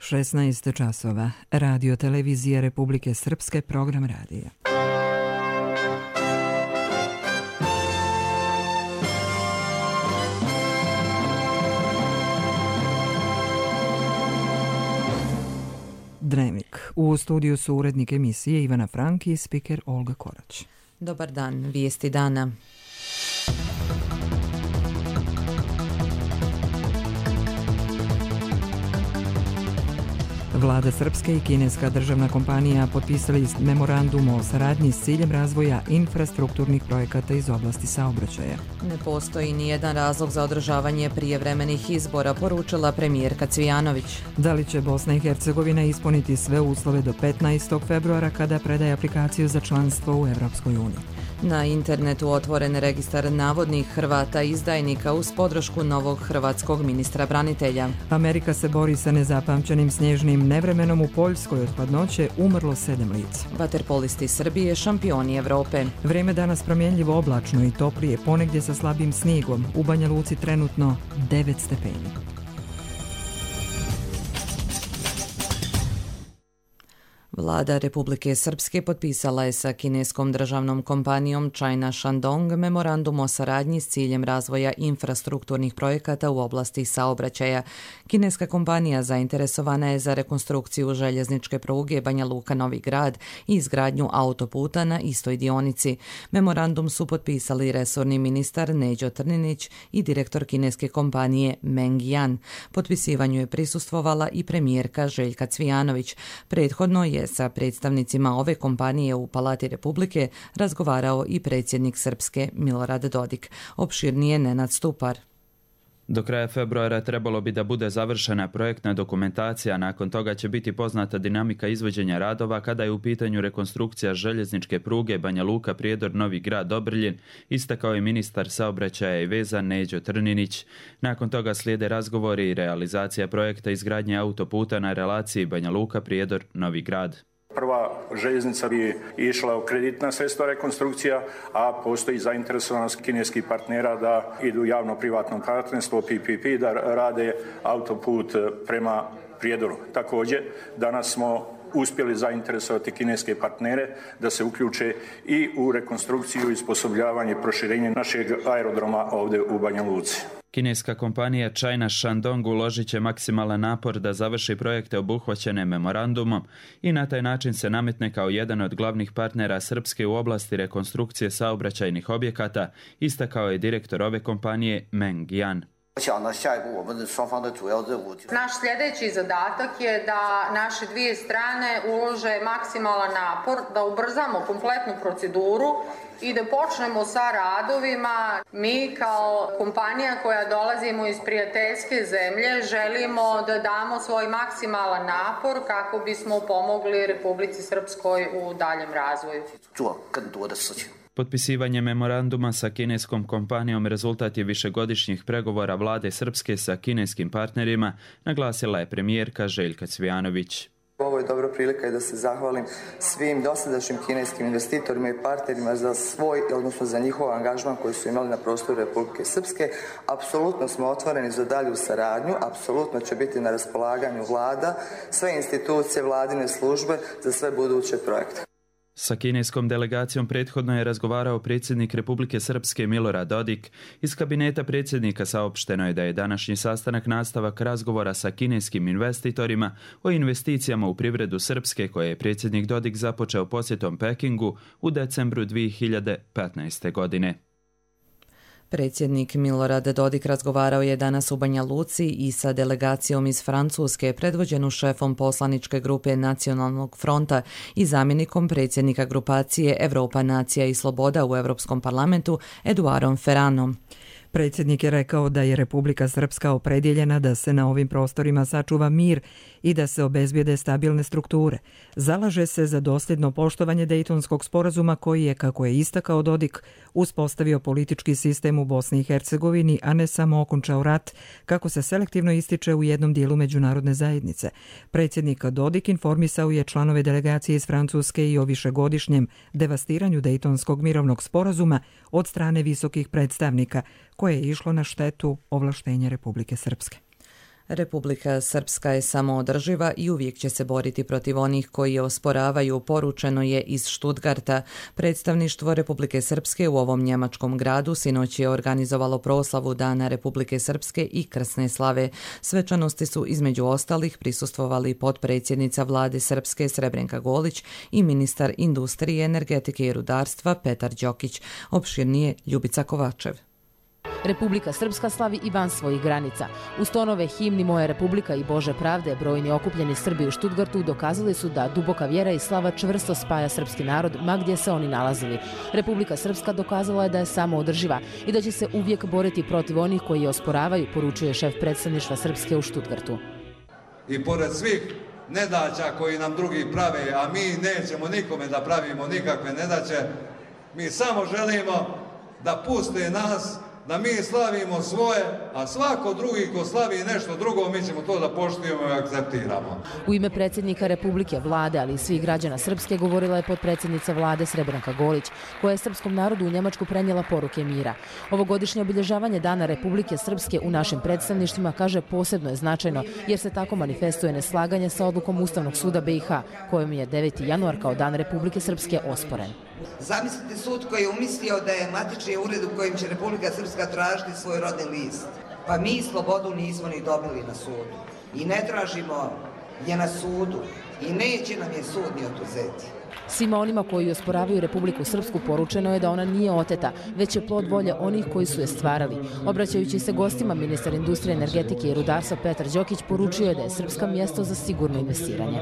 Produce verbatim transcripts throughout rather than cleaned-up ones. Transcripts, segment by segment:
šesnaest časova. Radio televizija Republike Srpske, program radija. Dnevnik. U studiju su urednik emisije Ivana Frank i spiker Olga Korać. Dobar dan, vijesti dana. Vlada Srpske i kineska državna kompanija potpisali memorandum o saradnji s ciljem razvoja infrastrukturnih projekata iz oblasti saobraćaja. Ne postoji ni jedan razlog za održavanje prijevremenih izbora, poručila premijerka Cvijanović. Da li će Bosna i Hercegovina ispuniti sve uslove do petnaestog februara kada predaje aplikaciju za članstvo u Evropskoj uniji? Na internetu otvoren registar navodnih Hrvata izdajnika uz podršku novog hrvatskog ministra branitelja. Amerika se bori sa nezapamćenim snježnim nevremenom u Poljskoj, od hladnoće umrlo sedam lica. Vaterpolisti Srbije šampioni Evrope. Vrijeme danas promjenljivo oblačno i toplije, ponegdje sa slabim snijegom. U Banja Luci trenutno devet stepeni. Vlada Republike Srpske potpisala je sa kineskom državnom kompanijom China Shandong memorandum o saradnji s ciljem razvoja infrastrukturnih projekata u oblasti saobraćaja. Kineska kompanija zainteresovana je za rekonstrukciju željezničke pruge Banja Luka-Novi Grad i izgradnju autoputa na istoj dionici. Memorandum su potpisali resorni ministar Neđo Trninić i direktor kineske kompanije Meng Yan. Potpisivanju je prisustvovala i premijerka Željka Cvijanović. Prethodno je sa predstavnicima ove kompanije u Palati Republike razgovarao i predsjednik Srpske Milorad Dodik. Opširnije Nenad Stupar. Do kraja februara trebalo bi da bude završena projektna dokumentacija, nakon toga će biti poznata dinamika izvođenja radova kada je u pitanju rekonstrukcija željezničke pruge Banja Luka Prijedor Novi Grad Dobrljin, istakao je ministar saobraćaja i veza Neđo Trninić. Nakon toga slijede razgovori i realizacija projekta izgradnje autoputa na relaciji Banja Luka Prijedor Novi Grad. Prva željeznica bi išla u kreditna sredstva rekonstrukcija, a postoji zainteresovanost kineskih partnera da idu u javno-privatno partnerstvo P P P, da rade autoput prema Prijedoru. Također, danas smo uspjeli zainteresovati kineske partnere da se uključe i u rekonstrukciju i osposobljavanje i proširenje našeg aerodroma ovdje u Banja Luci. Kineska kompanija China Shandong uložit će maksimalan napor da završi projekte obuhvaćene memorandumom i na taj način se nametne kao jedan od glavnih partnera Srpske u oblasti rekonstrukcije saobraćajnih objekata, istakao je direktor ove kompanije Meng Yan. Naš sljedeći zadatak je da naše dvije strane ulože maksimalan napor, da ubrzamo kompletnu proceduru i da počnemo sa radovima. Mi kao kompanija koja dolazimo iz prijateljske zemlje želimo da damo svoj maksimalan napor kako bismo pomogli Republici Srpskoj u daljem razvoju. Potpisivanje memoranduma sa kineskom kompanijom rezultat je višegodišnjih pregovora vlade Srpske sa kineskim partnerima, naglasila je premijerka Željka Cvijanović. Ovo je dobra prilika i da se zahvalim svim dosadašnjim kineskim investitorima i partnerima za svoj, odnosno za njihov angažman koji su imali na prostoru Republike Srpske. Apsolutno smo otvoreni za dalju saradnju, apsolutno će biti na raspolaganju vlada, sve institucije, vladine službe za sve buduće projekte. Sa kineskom delegacijom prethodno je razgovarao predsjednik Republike Srpske Milorad Dodik. Iz kabineta predsjednika saopšteno je da je današnji sastanak nastavak razgovora sa kineskim investitorima o investicijama u privredu Srpske koje je predsjednik Dodik započeo posjetom Pekingu u decembru dvije hiljade petnaeste. godine. Predsjednik Milorad Dodik razgovarao je danas u Banja Luci i sa delegacijom iz Francuske, predvođenu šefom poslaničke grupe Nacionalnog fronta i zamjenikom predsjednika grupacije Evropa, nacija i sloboda u Europskom parlamentu Eduarom Ferranom. Predsjednik je rekao da je Republika Srpska opredjeljena da se na ovim prostorima sačuva mir i da se obezbijede stabilne strukture. Zalaže se za dosljedno poštovanje Dejtonskog sporazuma koji je, kako je istakao Dodik, uspostavio politički sistem u Bosni i Hercegovini, a ne samo okončao rat, kako se selektivno ističe u jednom dijelu međunarodne zajednice. Predsjednik Dodik informisao je članove delegacije iz Francuske i o višegodišnjem devastiranju Dejtonskog mirovnog sporazuma od strane visokih predstavnika, koje je išlo na štetu ovlaštenja Republike Srpske. Republika Srpska je samoodrživa i uvijek će se boriti protiv onih koji je osporavaju, poručeno je iz Stuttgarta. Predstavništvo Republike Srpske u ovom njemačkom gradu sinoć je organizovalo proslavu Dana Republike Srpske i krsne slave. Svečanosti su između ostalih prisustvovali potpredsjednica vlade Srpske Srebrenka Golić i ministar industrije, energetike i rudarstva Petar Đokić. Opširnije Ljubica Kovačev. Republika Srpska slavi i van svojih granica. Uz tonove himni Moja Republika i Bože pravde, brojni okupljeni Srbi u Stuttgartu dokazali su da duboka vjera i slava čvrsto spaja srpski narod ma gdje se oni nalazili. Republika Srpska dokazala je da je samoodrživa i da će se uvijek boriti protiv onih koji je osporavaju, poručuje šef predstavništva Srpske u Stuttgartu. I pored svih nedaća koji nam drugi prave, a mi nećemo nikome da pravimo nikakve nedaće, mi samo želimo da puste nas, da mi slavimo svoje, a svako drugi ko slavi nešto drugo, mi ćemo to da poštujemo i akceptiramo. U ime predsjednika Republike, vlade, ali i svih građana Srpske govorila je potpredsjednica vlade Srebrenka Golić, koja je srpskom narodu u Njemačku prenijela poruke mira. Ovogodišnje obilježavanje Dana Republike Srpske u našim predstavništvima, kaže, posebno je značajno, jer se tako manifestuje neslaganje sa odlukom Ustavnog suda B i H, kojom je deveti januar kao Dan Republike Srpske osporen. Zamislite sud koji je umislio da je matični ured u kojim će Republika Srpska tražiti svoj rodni list. Pa mi slobodu nismo ni dobili na sudu. I ne tražimo je na sudu. I neće nam je sud ni oduzeti. Svima onima koji osporavaju Republiku Srpsku poručeno je da ona nije oteta, već je plod volje onih koji su je stvarali. Obraćajući se gostima, ministar industrije, energetike i rudarstva Petar Đokić poručio je da je Srpska mjesto za sigurno investiranje.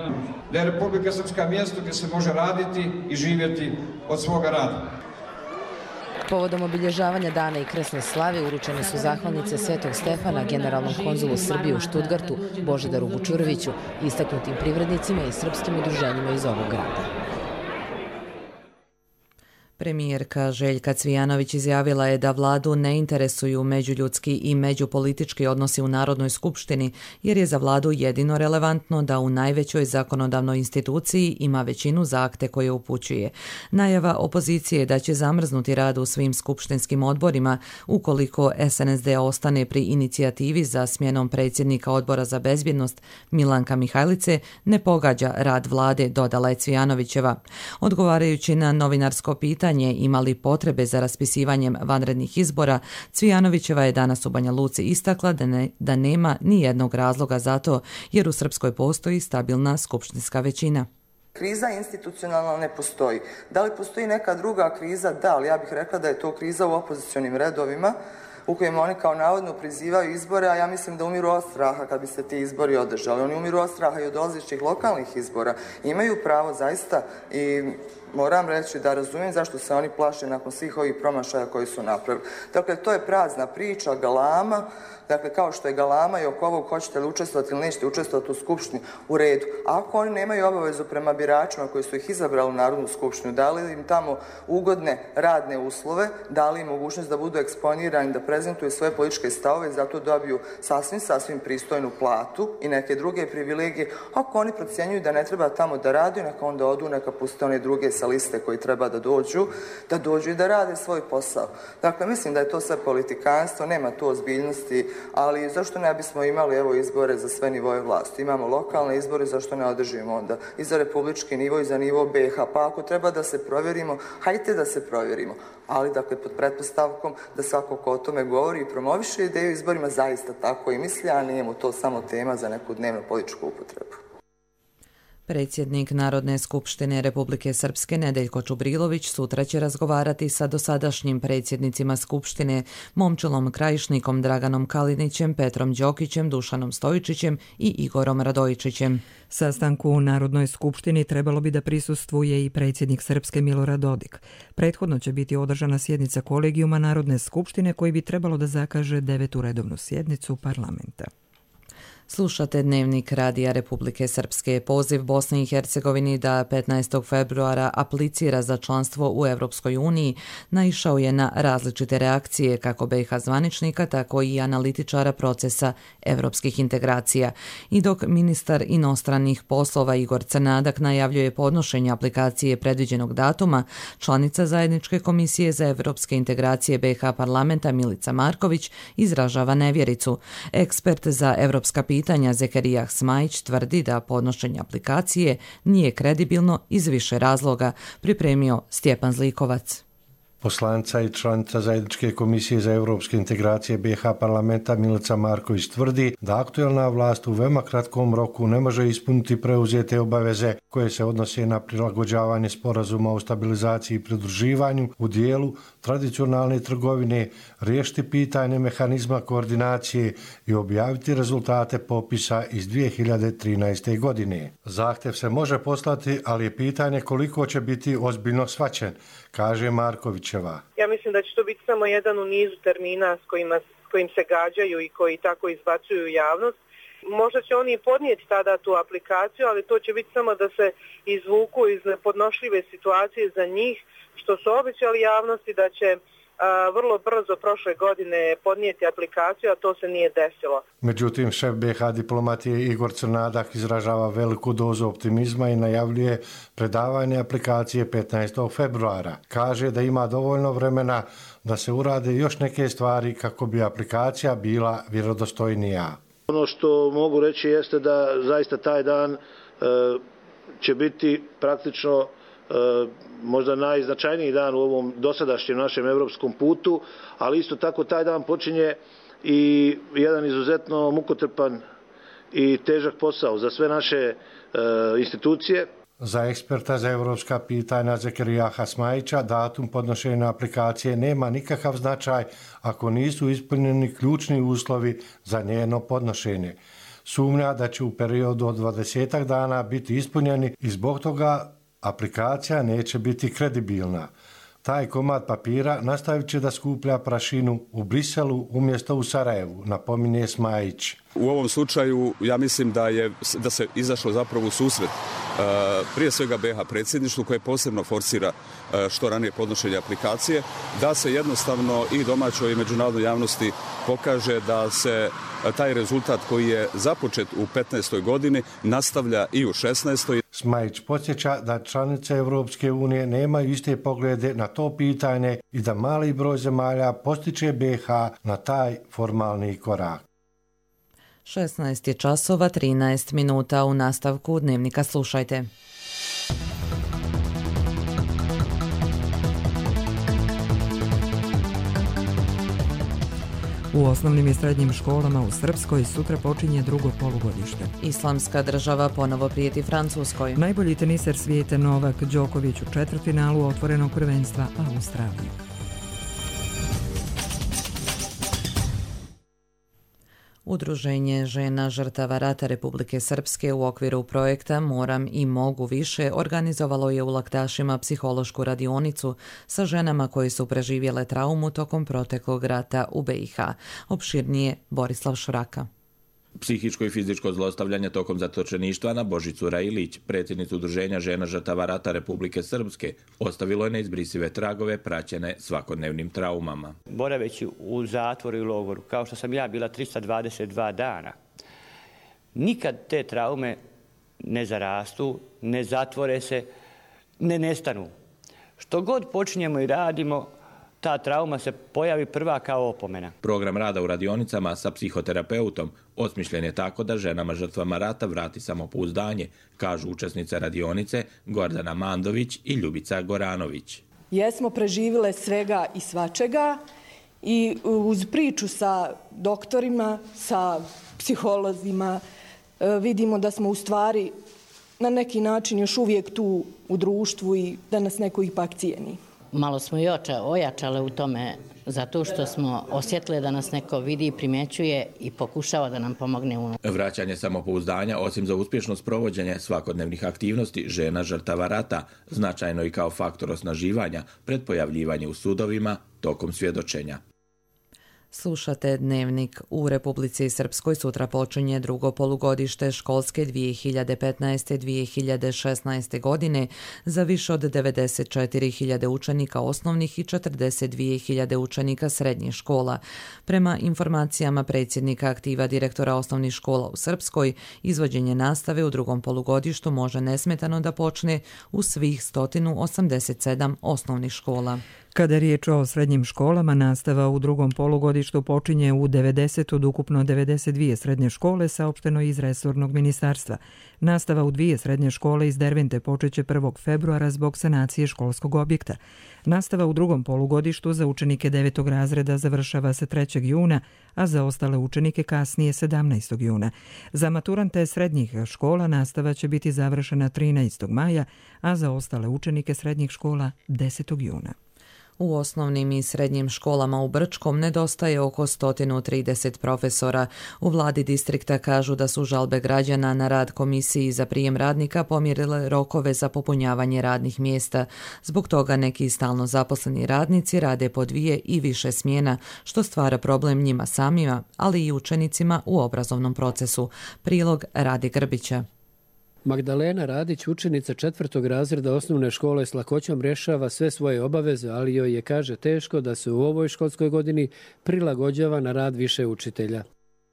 Da je Republika Srpska mjesto gdje se može raditi i živjeti od svoga rada. Povodom obilježavanja dana i krsne slave uručene su zahvalnice Svetog Stefana generalnom konzulu Srbije u Stuttgartu Božidaru Vučuroviću, istaknutim privrednicima i srpskim udruženjima iz ovog grada. Premijerka Željka Cvijanović izjavila je da vladu ne interesuju međuljudski i međupolitički odnosi u Narodnoj skupštini, jer je za vladu jedino relevantno da u najvećoj zakonodavnoj instituciji ima većinu za akte koje upućuje. Najava opozicije da će zamrznuti rad u svim skupštinskim odborima ukoliko S N S D ostane pri inicijativi za smjenom predsjednika Odbora za bezbjednost Milanka Mihajlice ne pogađa rad vlade, dodala je Cvijanovićeva. Odgovarajući na novinarsko pitanje imali potrebe za raspisivanjem vanrednih izbora, Cvijanovićeva je danas u Banja Luci istakla da, ne, da nema ni jednog razloga za to, jer u Srpskoj postoji stabilna skupštinska većina. Kriza institucionalna ne postoji. Da li postoji neka druga kriza? Da, ali ja bih rekla da je to kriza u opozicionim redovima, u kojima oni kao navodno prizivaju izbore, a ja mislim da umiru od straha kad bi se ti izbori održali. Oni umiru od straha i od dolazećih lokalnih izbora. Imaju pravo zaista i moram reći da razumijem zašto se oni plaše nakon svih ovih promašaja koji su napravili. Dakle, to je prazna priča, galama, dakle, kao što je galama i oko ovog hoćete li učestvovati ili nećete učestvovati u skupštini, u redu. Ako oni nemaju obavezu prema biračima koji su ih izabrali u Narodnu skupštinu, dali im tamo ugodne radne uslove, dali im mogućnost da budu eksponirani, da prezentuju svoje političke stavove i zato dobiju sasvim, sasvim pristojnu platu i neke druge privilegije. Ako oni procjenjuju da ne treba tamo da radi, neka onda odu, neka puste one druge sa liste koji treba da dođu, da dođu i da rade svoj posao. Dakle, mislim da je to sve politikanstvo, nema tu ozbiljnosti, ali zašto ne bismo imali evo izbore za sve nivoje vlasti? Imamo lokalne izbore, zašto ne održimo onda i za republički nivo i za nivo B H? Pa ako treba da se provjerimo, hajte da se provjerimo. Ali, dakle, pod pretpostavkom da svako ko o tome govori i promoviše ideju izborima zaista tako i misli, a nije mu to samo tema za neku dnevnu političku upotrebu. Predsjednik Narodne skupštine Republike Srpske Nedeljko Čubrilović sutra će razgovarati sa dosadašnjim predsjednicima Skupštine Momčilom Krajišnikom, Draganom Kalinićem, Petrom Đokićem, Dušanom Stojičićem i Igorom Radojičićem. Sastanku u Narodnoj skupštini trebalo bi da prisustvuje i predsjednik Srpske Milorad Dodik. Prethodno će biti održana sjednica kolegijuma Narodne skupštine koji bi trebalo da zakaže devetu redovnu sjednicu parlamenta. Slušate Dnevnik Radija Republike Srpske. Poziv Bosni i Hercegovini da petnaestog februara aplicira za članstvo u Europskoj uniji naišao je na različite reakcije kako B i H zvaničnika, tako i analitičara procesa evropskih integracija. I dok ministar inostranih poslova Igor Crnadak najavljuje podnošenje aplikacije predviđenog datuma, članica Zajedničke komisije za evropske integracije B i H parlamenta Milica Marković izražava nevjericu. Ekspert za evropska pitanja pitanja Zekerijah Smajić tvrdi da podnošenje aplikacije nije kredibilno iz više razloga, pripremio Stjepan Zlikovac. Poslanica i članica Zajedničke komisije za europske integracije B iH parlamenta Milica Marković tvrdi da aktuelna vlast u veoma kratkom roku ne može ispuniti preuzete obaveze koje se odnose na prilagođavanje sporazuma o stabilizaciji i pridruživanju u dijelu tradicionalne trgovine, riješiti pitanje mehanizma koordinacije i objaviti rezultate popisa iz dvije hiljade trinaeste. godine. Zahtjev se može poslati, ali je pitanje koliko će biti ozbiljno shvaćen, kaže Markovićeva. Ja mislim da će to biti samo jedan u nizu termina s kojima, s kojim se gađaju i koji tako izbacuju javnost. Možda će oni podnijeti tada tu aplikaciju, ali to će biti samo da se izvuku iz nepodnošljive situacije za njih, što su obećali javnosti da će a, vrlo brzo prošle godine podnijeti aplikaciju, a to se nije desilo. Međutim, šef B iH diplomatije Igor Crnadak izražava veliku dozu optimizma i najavljuje predavanje aplikacije petnaestog februara. Kaže da ima dovoljno vremena da se urade još neke stvari kako bi aplikacija bila vjerodostojnija. Ono što mogu reći jeste da zaista taj dan e, će biti praktično e, možda najznačajniji dan u ovom dosadašnjem našem europskom putu, ali isto tako taj dan počinje i jedan izuzetno mukotrpan i težak posao za sve naše e, institucije. Za eksperta za evropska pitanja Zekerijaha Smajića datum podnošenja aplikacije nema nikakav značaj ako nisu ispunjeni ključni uslovi za njeno podnošenje. Sumnja da će u periodu od dvadesetak dana biti ispunjeni i zbog toga aplikacija neće biti kredibilna. Taj komad papira nastavit će da skuplja prašinu u Briselu umjesto u Sarajevu, napominje Smajić. U ovom slučaju ja mislim da je da se izašlo zapravo u susret prije svega B iH predsjedništvu koje posebno forsira što ranije podnošenje aplikacije, da se jednostavno i domaćoj i međunarodnoj javnosti pokaže da se taj rezultat koji je započet u petnaestoj godini nastavlja i u šesnaestoj. Smajić podsjeća da članice Europske unije nemaju iste poglede na to pitanje i da mali broj zemalja postiče B iH na taj formalni korak. šesnaest je časova trinaest minuta. U nastavku Dnevnika slušajte. U osnovnim i srednjim školama u Srpskoj sutra počinje drugo polugodište. Islamska država ponovo prijeti Francuskoj. Najbolji teniser svijeta Novak Đoković u četvrtfinalu otvorenog prvenstva Australije. Udruženje žena žrtava rata Republike Srpske u okviru projekta Moram i mogu više organizovalo je u Laktašima psihološku radionicu sa ženama koje su preživjele traumu tokom proteklog rata u B iH. Opširnije Borislav Šuraka. Psihičko i fizičko zlostavljanje tokom zatočeništva na Božicu Railić, predsjednicu Udruženja žena žrtava rata Republike Srpske, ostavilo je neizbrisive tragove praćene svakodnevnim traumama. Boraveći u zatvoru i logoru, kao što sam ja bila trista dvadeset dva dana, nikad te traume ne zarastu, ne zatvore se, ne nestanu. Što god počinjemo i radimo, ta trauma se pojavi prva kao opomena. Program rada u radionicama sa psihoterapeutom osmišljen je tako da ženama žrtvama rata vrati samopouzdanje, kažu učesnice radionice Gordana Mandović i Ljubica Goranović. Jesmo preživile svega i svačega i uz priču sa doktorima, sa psiholozima vidimo da smo u stvari na neki način još uvijek tu u društvu i da nas neko ipak cijeni. Malo smo i ojačale u tome zato što smo osjetili da nas neko vidi i primjećuje i pokušava da nam pomogne. U... Vraćanje samopouzdanja, osim za uspješno sprovođenje svakodnevnih aktivnosti žena žrtava rata, značajno i kao faktor osnaživanja pred pojavljivanje u sudovima tokom svjedočenja. Slušate Dnevnik. U Republici Srpskoj sutra počinje drugo polugodište školske dvije hiljade petnaeste dvije hiljade šesnaeste. godine za više od devedeset četiri hiljade učenika osnovnih i četrdeset dvije hiljade učenika srednjih škola. Prema informacijama predsjednika aktiva direktora osnovnih škola u Srpskoj, izvođenje nastave u drugom polugodištu može nesmetano da počne u svih sto osamdeset sedam osnovnih škola. Kada je riječ o srednjim školama, nastava u drugom polugodištu počinje u devedeset od ukupno devedeset dvije srednje škole, saopšteno iz resornog ministarstva. Nastava u dvije srednje škole iz Dervente počeće prvog februara zbog sanacije školskog objekta. Nastava u drugom polugodištu za učenike devetog razreda završava se trećeg juna, a za ostale učenike kasnije sedamnaestog juna. Za maturante srednjih škola nastava će biti završena trinaestog maja, a za ostale učenike srednjih škola desetog juna. U osnovnim i srednjim školama u Brčkom nedostaje oko sto trideset profesora. U vladi distrikta kažu da su žalbe građana na rad komisiji za prijem radnika pomjerile rokove za popunjavanje radnih mjesta. Zbog toga neki stalno zaposleni radnici rade po dvije i više smjena, što stvara problem njima samima, ali i učenicima u obrazovnom procesu. Prilog Rade Grbića. Magdalena Radić, učenica četvrtog razreda osnovne škole, s lakoćom rješava sve svoje obaveze, ali joj je, kaže, teško da se u ovoj školskoj godini prilagođava na rad više učitelja.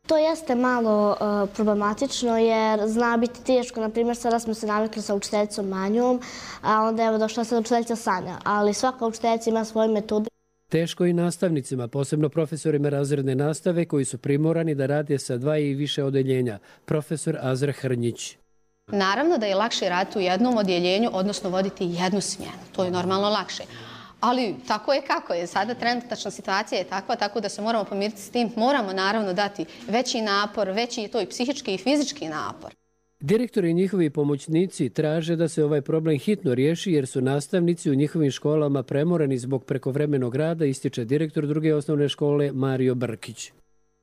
To jeste malo uh, problematično jer zna biti teško. Na primjer, sada smo se navikli sa učiteljicom Manjom, a onda je došla sad učiteljica Sanja, ali svaka učiteljica ima svoje metode. Teško i nastavnicima, posebno profesorima razredne nastave koji su primorani da rade sa dva i više odeljenja. Profesor Azra Hrnjić. Naravno da je lakše raditi u jednom odjeljenju, odnosno voditi jednu smjenu. To je normalno lakše. Ali tako je kako je. Sada trenutačna situacija je takva, tako da se moramo pomiriti s tim. Moramo naravno dati veći napor, veći je to i psihički i fizički napor. Direktori i njihovi pomoćnici traže da se ovaj problem hitno riješi jer su nastavnici u njihovim školama premoreni zbog prekovremenog rada, ističe direktor druge osnovne škole Mario Brkić.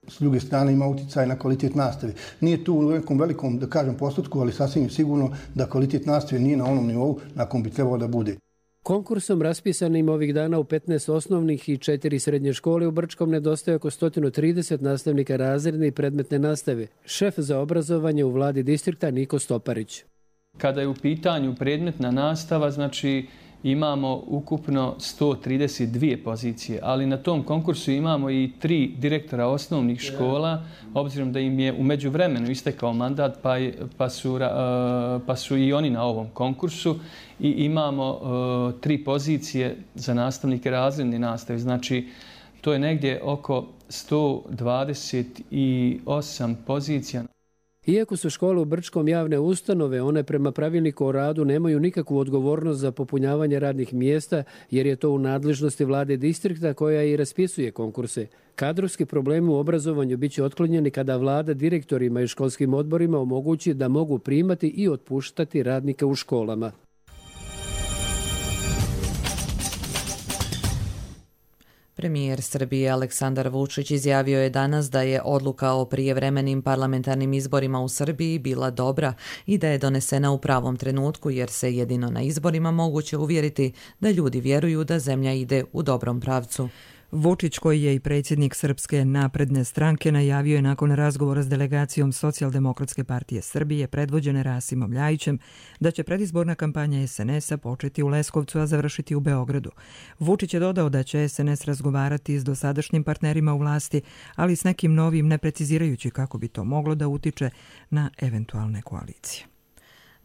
S druge strane ima utjecaj na kvalitet nastave. Nije tu u nekom velikom, da kažem, postotku, ali sasvim sigurno da kvalitet nastave nije na onom nivou na kom bi trebao da bude. Konkursom raspisanim ovih dana u petnaest osnovnih i četiri srednje škole u Brčkom nedostaje oko sto trideset nastavnika razredne i predmetne nastave. Šef za obrazovanje u vladi distrikta Niko Stoparić. Kada je u pitanju predmetna nastava, znači imamo ukupno sto trideset dvije pozicije, ali na tom konkursu imamo i tri direktora osnovnih škola, obzirom da im je u međuvremenu istekao mandat, pa, je, pa, su, pa su i oni na ovom konkursu i imamo uh, tri pozicije za nastavnike razredne nastave. Znači, to je negdje oko sto dvadeset osam pozicija. Iako su škole u Brčkom javne ustanove, one prema pravilniku o radu nemaju nikakvu odgovornost za popunjavanje radnih mjesta, jer je to u nadležnosti vlade distrikta koja i raspisuje konkurse. Kadrovski problemi u obrazovanju biće otklonjeni kada vlada direktorima i školskim odborima omogući da mogu primati i otpuštati radnike u školama. Premijer Srbije Aleksandar Vučić izjavio je danas da je odluka o prijevremenim parlamentarnim izborima u Srbiji bila dobra i da je donesena u pravom trenutku jer se jedino na izborima moguće uvjeriti da ljudi vjeruju da zemlja ide u dobrom pravcu. Vučić, koji je i predsjednik Srpske napredne stranke, najavio je nakon razgovora s delegacijom Socijaldemokratske partije Srbije predvođene Rasimom Ljajićem da će predizborna kampanja es en es a početi u Leskovcu, a završiti u Beogradu. Vučić je dodao da će es en es razgovarati s dosadašnjim partnerima u vlasti, ali s nekim novim, ne precizirajući kako bi to moglo da utiče na eventualne koalicije.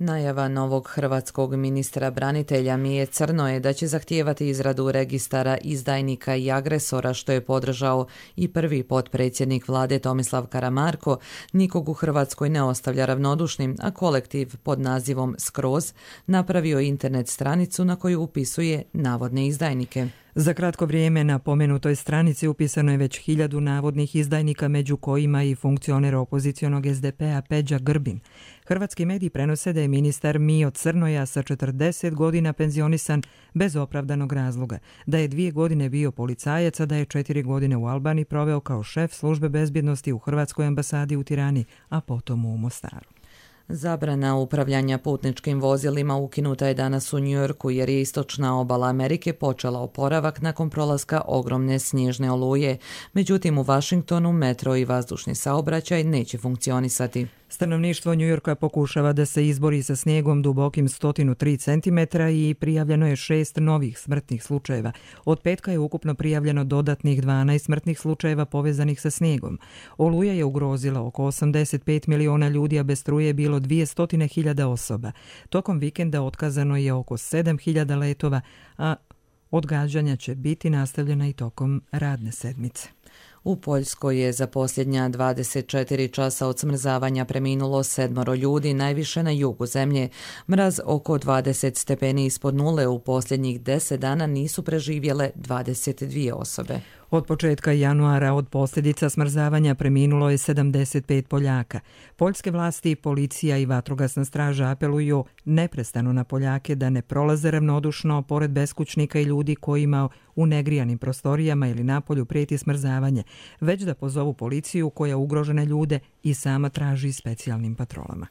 Najava novog hrvatskog ministra branitelja Mije Crnoje da će zahtijevati izradu registara izdajnika i agresora, što je podržao i prvi potpredsjednik vlade Tomislav Karamarko, nikog u Hrvatskoj ne ostavlja ravnodušnim, a kolektiv pod nazivom Skroz napravio internet stranicu na koju upisuje navodne izdajnike. Za kratko vrijeme na pomenutoj stranici upisano je već hiljadu navodnih izdajnika, među kojima i funkcioner opozicionog es de pe a Peđa Grbin. Hrvatski mediji prenose da je ministar Mijo Crnoja sa četrdeset godina penzionisan bez opravdanog razloga, da je dvije godine bio policajac, a da je četiri godine u Albaniji proveo kao šef službe bezbjednosti u Hrvatskoj ambasadi u Tirani, a potom u Mostaru. Zabrana upravljanja putničkim vozilima ukinuta je danas u Njujorku jer je istočna obala Amerike počela oporavak nakon prolaska ogromne snježne oluje. Međutim, u Vašingtonu metro i vazdušni saobraćaj neće funkcionisati. Stanovništvo Njujorka pokušava da se izbori sa snijegom dubokim sto tri centimetra i prijavljeno je šest novih smrtnih slučajeva. Od petka je ukupno prijavljeno dodatnih dvanaest smrtnih slučajeva povezanih sa snijegom. Oluja je ugrozila oko osamdeset pet miliona ljudi, a bez struje je bilo dvjesto hiljada osoba. Tokom vikenda otkazano je oko sedam hiljada letova, a Odgađanja će biti nastavljena i tokom radne sedmice. U Poljskoj je za posljednja dvadeset četiri časa od smrzavanja preminulo sedmoro ljudi, najviše na jugu zemlje. Mraz oko dvadeset stepeni ispod nule u posljednjih deset dana nisu preživjele dvadeset dvije osobe. Od početka januara od posljedica smrzavanja preminulo je sedamdeset pet Poljaka. Poljske vlasti, policija i vatrogasna straža apeluju neprestano na Poljake da ne prolaze ravnodušno pored beskućnika i ljudi kojima u negrijanim prostorijama ili napolju prijeti smrzavanje, već da pozovu policiju koja ugrožene ljude i sama traži specijalnim patrolama.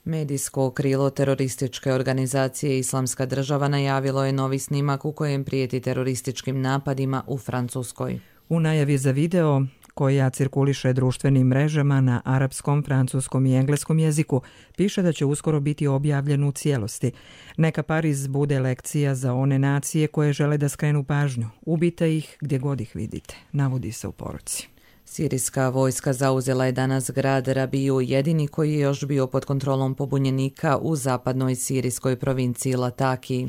Medijsko krilo terorističke organizacije Islamska država najavilo je novi snimak u kojem prijeti terorističkim napadima u Francuskoj. U najavi za video koja cirkuliše društvenim mrežama na arapskom, francuskom i engleskom jeziku, piše da će uskoro biti objavljen u cijelosti. Neka Pariz bude lekcija za one nacije koje žele da skrenu pažnju. Ubite ih gdje god ih vidite, navodi se u poruci. Sirijska vojska zauzela je danas grad Rabiju, jedini koji je još bio pod kontrolom pobunjenika u zapadnoj sirijskoj provinciji Lataki.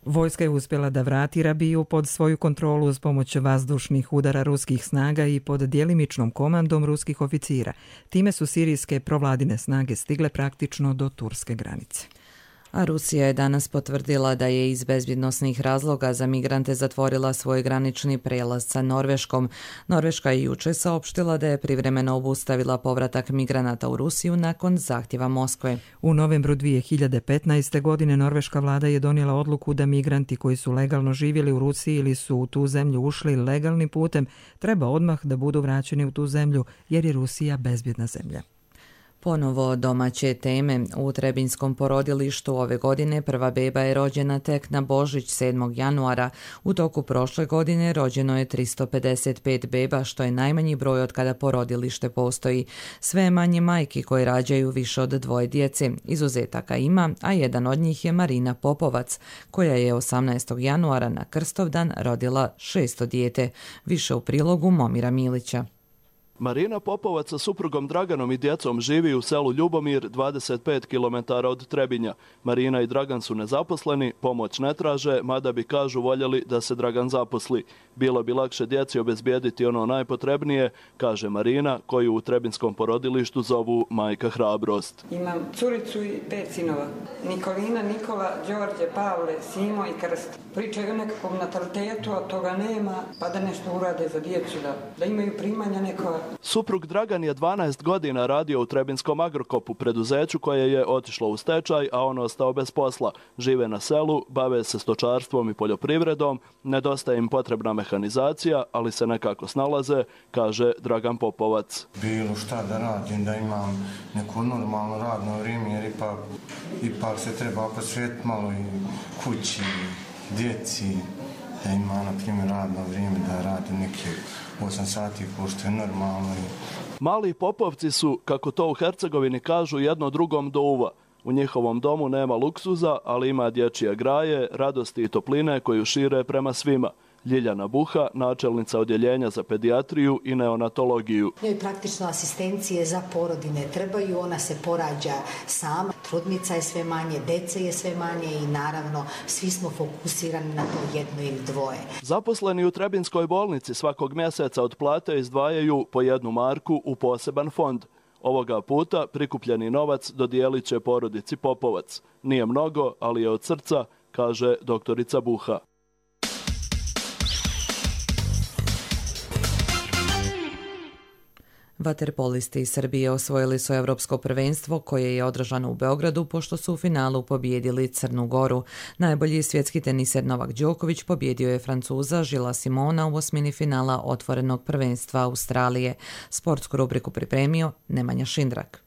Vojska je uspjela da vrati Rabiju pod svoju kontrolu uz pomoć vazdušnih udara ruskih snaga i pod djelimičnom komandom ruskih oficira. Time su sirijske provladine snage stigle praktično do turske granice. A Rusija je danas potvrdila da je iz bezbjednosnih razloga za migrante zatvorila svoj granični prijelaz sa Norveškom. Norveška je jučer saopštila da je privremeno obustavila povratak migranata u Rusiju nakon zahtjeva Moskve. U novembru dvije hiljade petnaeste. godine norveška vlada je donijela odluku da migranti koji su legalno živjeli u Rusiji ili su u tu zemlju ušli legalnim putem treba odmah da budu vraćeni u tu zemlju jer je Rusija bezbjedna zemlja. Ponovo domaće teme. U Trebinskom porodilištu ove godine prva beba je rođena tek na Božić sedmog januara. U toku prošle godine rođeno je tristo pedeset pet beba, što je najmanji broj od kada porodilište postoji. Sve je manje majki koje rađaju više od dvoje djece. Izuzetaka ima, a jedan od njih je Marina Popovac, koja je osamnaestog januara na Krstovdan rodila šesto dijete. Više u prilogu Momira Milića. Marina Popovac sa suprugom Draganom i djecom živi u selu Ljubomir, dvadeset pet kilometara od Trebinja. Marina i Dragan su nezaposleni, pomoć ne traže, mada bi, kažu, voljeli da se Dragan zaposli. Bilo bi lakše djeci obezbijediti ono najpotrebnije, kaže Marina, koju u Trebinskom porodilištu zovu Majka Hrabrost. Imam curicu i pet sinova. Nikolina, Nikola, Đorđe, Pavle, Simo i Krst. Pričaju o nekakvom natalitetu, a toga nema, pa da nešto urade za djecu, da, da imaju primanja neko. Suprug Dragan je dvanaest godina radio u Trebinskom Agrokopu, preduzeću koje je otišlo u stečaj, a on ostao bez posla. Žive na selu, bave se stočarstvom i poljoprivredom, nedostaje im potrebna mehanizacija, ali se nekako snalaze, kaže Dragan Popovac. Bilo šta da radim, da imam neko normalno radno vrijeme, jer ipak, ipak se treba posvetiti malo i kući, djeci, da ima, na primjer, radno vrijeme, da radim neke osam sati, pošto je normalno. Mali Popovci su, kako to u Hercegovini kažu, jedno drugom do uva. U njihovom domu nema luksuza, ali ima dječje graje, radosti i topline koju šire prema svima. Ljiljana Buha, načelnica odjeljenja za pedijatriju i neonatologiju. Njoj praktično asistencije za porodine trebaju, ona se porađa sama, trudnica je sve manje, dece je sve manje i naravno svi smo fokusirani na to jedno ili dvoje. Zaposleni u Trebinskoj bolnici svakog mjeseca od plate izdvajaju po jednu marku u poseban fond. Ovoga puta prikupljeni novac dodijelit će porodici Popovac. Nije mnogo, ali je od srca, kaže doktorica Buha. Vaterpolisti iz Srbije osvojili su Evropsko prvenstvo koje je održano u Beogradu pošto su u finalu pobijedili Crnu Goru. Najbolji svjetski teniser Novak Đoković pobjedio je Francuza Žila Simona u osmini finala otvorenog prvenstva Australije. Sportsku rubriku pripremio Nemanja Šindrak.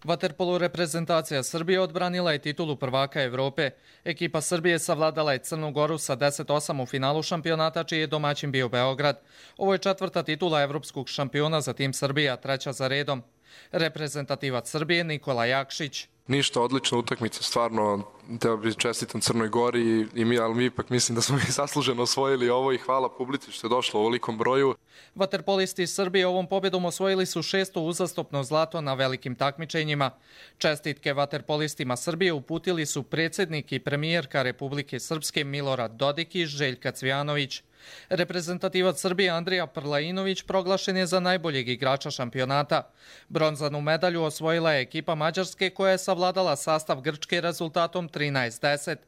Vaterpolo reprezentacija Srbije odbranila je titulu prvaka Evrope. Ekipa Srbije savladala je Crnu Goru sa deset osam u finalu šampionata, čiji je domaćin bio Beograd. Ovo je četvrta titula evropskog šampiona za tim Srbija, treća za redom. Reprezentativac Srbije Nikola Jakšić. Ništa, odlična utakmica, stvarno treba bi čestitam Crnoj Gori i mi, ali mi ipak mislim da smo mi zasluženo osvojili ovo i hvala publici što je došlo u ovolikom broju. Vaterpolisti Srbije ovom pobjedom osvojili su šesto uzastopno zlato na velikim takmičenjima. Čestitke vaterpolistima Srbije uputili su predsjednik i premijerka Republike Srpske Milorad Dodik i Željka Cvijanović. Reprezentativac Srbije Andrija Prlainović proglašen je za najboljeg igrača šampionata. Bronzanu medalju osvojila je ekipa Mađarske koja je savladala sastav Grčke rezultatom trinaest deset.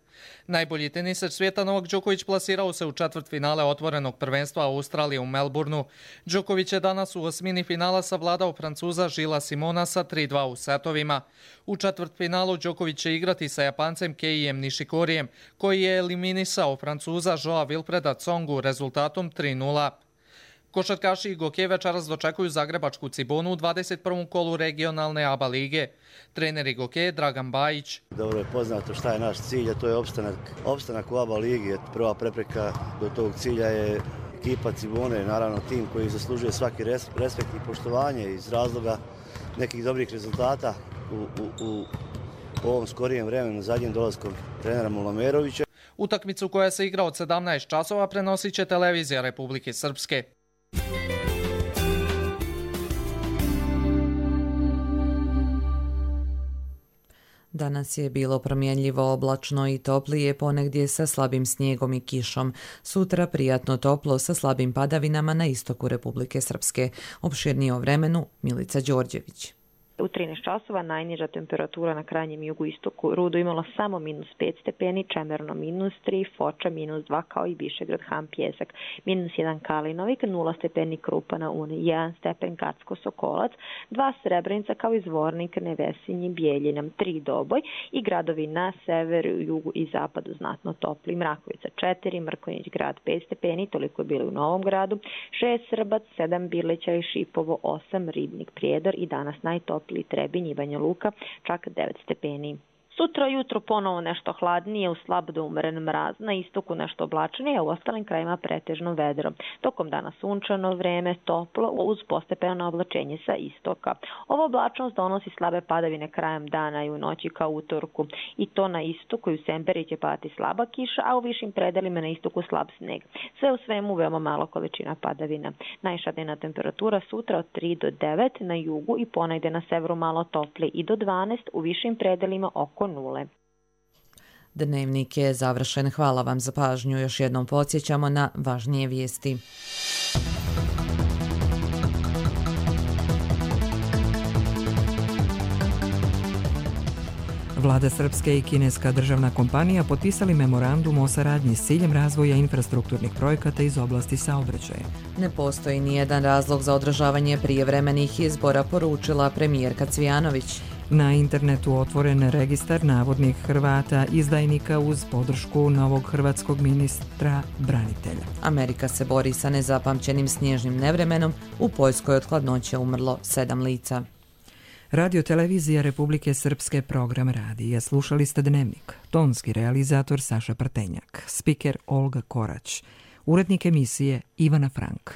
Najbolji teniser svijeta Novak Đoković plasirao se u četvrtfinale otvorenog prvenstva Australije u Melbourneu. Đoković je danas u osmini finala savladao Francuza Žila Simona sa tri dva u setovima. U četvrtfinalu Đoković će igrati sa Japancem Keijem Nishikorijem, koji je eliminisao Francuza Joa Wilfreda Tsongu rezultatom tri nula. Košarkaši i Goke večeras dočekuju zagrebačku Cibonu u dvadeset prvom kolu regionalne A B A lige. Trener i Goke Dragan Bajić. Dobro je poznato šta je naš cilj, a to je opstanak, opstanak u A B A ligi. Prva prepreka do tog cilja je ekipa Cibone, naravno tim koji zaslužuje svaki respekt i poštovanje iz razloga nekih dobrih rezultata u, u, u ovom skorijem vremenu zadnjim dolaskom trenera Mulamerovića. Utakmicu koja se igra od sedamnaest časova prenosit će televizija Republike Srpske. Danas je bilo promjenljivo oblačno i toplije, ponegdje sa slabim snijegom i kišom. Sutra prijatno toplo sa slabim padavinama na istoku Republike Srpske. Opširnije o vremenu Milica Đorđević. U trinaest časova najniža temperatura na krajnjem jugu istoku Rudo imala samo minus pet stepeni, Čemerno minus tri, Foča minus dva kao i Višegrad, Han, Pjesak, minus jedan Kalinovik, nula stepeni Krupa na Uni, jedan stepen Kacko, Sokolac, dva Srebrenica kao i Zvornik, Nevesinji, Bijeljina, tri Doboj i gradovi na severu, jugu i zapadu znatno topli. Mrakovica četiri, Mrkonjić grad pet stepeni, toliko je bilo u Novom Gradu, šest Srbac, sedam Birleća i Šipovo, osam Ribnik, Prijedor i danas najtopliji Trebinj i Banja Luka, čak devet stepeni. Sutra jutro ponovo nešto hladnije, u slab do umeren mraz, na istoku nešto oblačnije, a u ostalim krajima pretežno vedro. Tokom dana sunčano vreme, toplo, uz postepeno oblačenje sa istoka. Ova oblačnost donosi slabe padavine krajem dana i u noći kao utorku. I to na istoku i u Semberi će padati slaba kiša, a u višim predelima na istoku slab sneg. Sve u svemu veoma malo količina padavina. Najviša dnevna temperatura sutra od tri do devet, na jugu i ponegde na severu malo toplije i do dvanaest, u višim predelima oko nule. Dnevnik je završen. Hvala vam za pažnju. Još jednom podsjećamo na važnije vijesti. Vlada Srpske i kineska državna kompanija potpisali memorandum o saradnji s ciljem razvoja infrastrukturnih projekata iz oblasti saobraćaja. Ne postoji nijedan razlog za održavanje prijevremenih izbora, poručila premijerka Cvijanović. Na internetu otvoren registar navodnih Hrvata izdajnika uz podršku novog hrvatskog ministra branitelja. Amerika se bori sa nezapamćenim snježnim nevremenom. U Poljskoj od hladnoće umrlo sedam lica. Radio televizija Republike Srpske program radija. Slušali ste Dnevnik. Tonski realizator Saša Prtenjak. Spiker Olga Korać. Urednik emisije Ivana Frank.